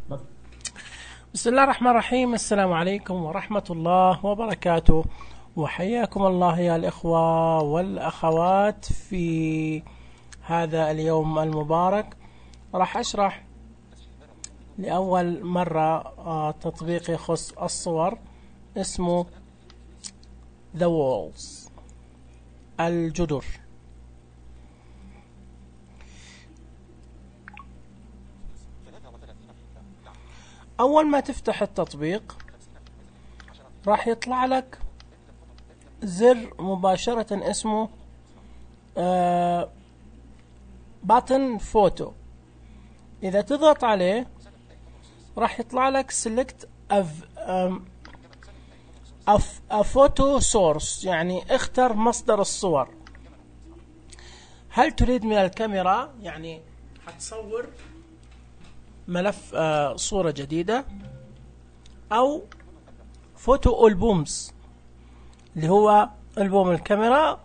بسم الله الرحمن الرحيم. السلام عليكم ورحمة الله وبركاته، وحياكم الله يا الإخوة والأخوات في هذا اليوم المبارك. راح أشرح لأول مرة تطبيق يخص الصور اسمه The Walls، الجدر. أول ما تفتح التطبيق راح يطلع لك زر مباشرة اسمه باتن فوتو. إذا تضغط عليه راح يطلع لك select a photo source، يعني اختر مصدر الصور. هل تريد من الكاميرا، يعني هتصور ملف صورة جديدة، أو فوتو ألبومز اللي هو ألبوم الكاميرا،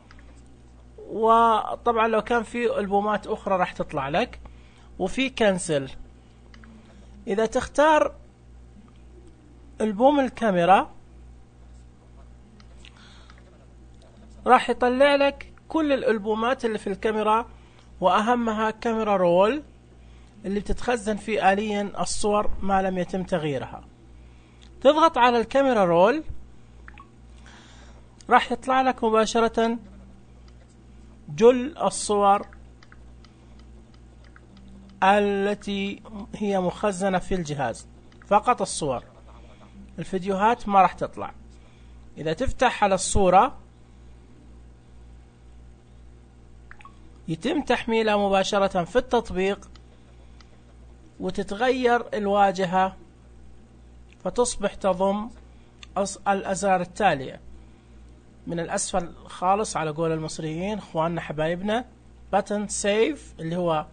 وطبعا لو كان في ألبومات أخرى راح تطلع لك، وفي كنسل. إذا تختار ألبوم الكاميرا راح يطلع لك كل الألبومات اللي في الكاميرا، وأهمها كاميرا رول اللي بتتخزن فيه آليا الصور ما لم يتم تغييرها. تضغط على الكاميرا رول راح يطلع لك مباشرة جل الصور التي هي مخزنة في الجهاز، فقط الصور، الفيديوهات ما راح تطلع. إذا تفتح على الصورة يتم تحميلها مباشرة في التطبيق، وتتغير الواجهة فتصبح تضم الأزرار التالية من الأسفل خالص على قول المصريين اخواننا حبايبنا: باتن سيف اللي هو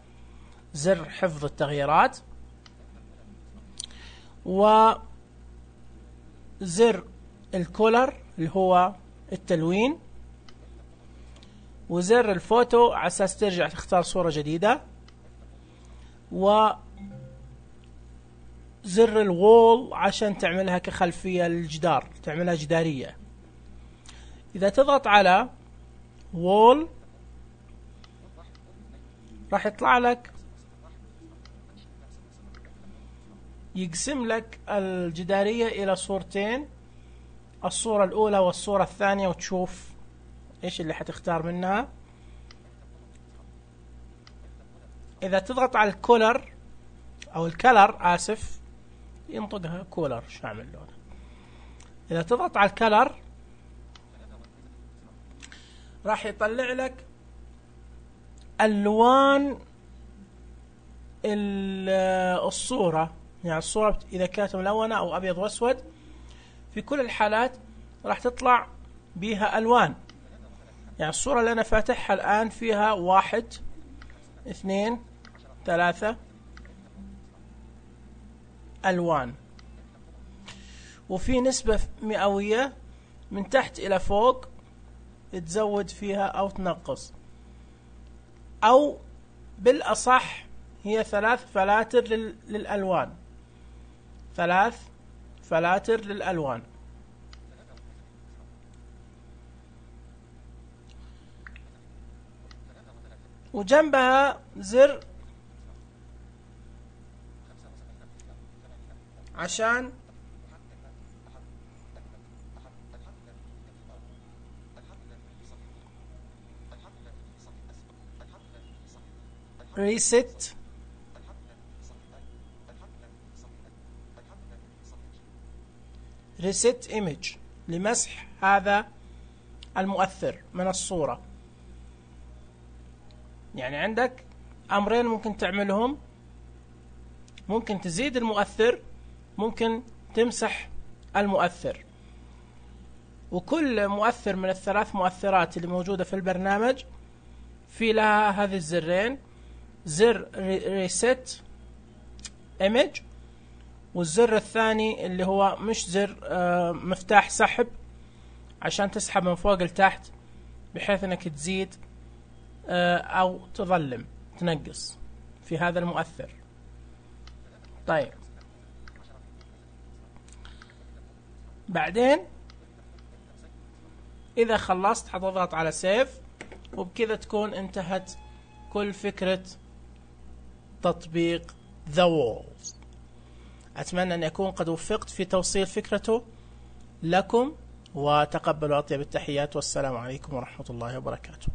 زر حفظ التغييرات، وزر الكولر اللي هو التلوين، وزر الفوتو على أساس ترجع تختار صورة جديدة، وزر الوول عشان تعملها كخلفية للجدار، تعملها جدارية. إذا تضغط على وول راح يطلع لك يقسم لك الجدارية إلى صورتين، الصورة الأولى والصورة الثانية، وتشوف إيش اللي حتختار منها. إذا تضغط على الكولر أو الكلر، آسف ينطقها كولر، شو أعمل لونه. إذا تضغط على الكلر راح يطلع لك ألوان الصورة، يعني الصورة إذا كانت ملونة أو أبيض وأسود، في كل الحالات راح تطلع بها ألوان. يعني الصورة اللي أنا فاتحها الآن فيها 1 2 3 ألوان، وفي نسبة مئوية من تحت إلى فوق تزود فيها أو تنقص، أو بالأصح هي 3 فلاتر للألوان، 3 فلاتر للألوان. وجنبها زر عشان ريست ايمج، لمسح هذا المؤثر من الصورة. يعني عندك أمرين ممكن تعملهم: ممكن تزيد المؤثر، ممكن تمسح المؤثر. وكل مؤثر من الثلاث مؤثرات اللي موجودة في البرنامج في لها هذه الزرين: زر ريست ايمج، والزر الثاني اللي هو مش زر مفتاح سحب عشان تسحب من فوق لتحت بحيث انك تزيد او تظلم تنقص في هذا المؤثر. طيب بعدين إذا خلصت حتضغط على سيف، وبكذا تكون انتهت كل فكرة تطبيق The Walls. أتمنى أن أكون قد وفقت في توصيل فكرته لكم، وتقبلوا أطيب التحيات، والسلام عليكم ورحمة الله وبركاته.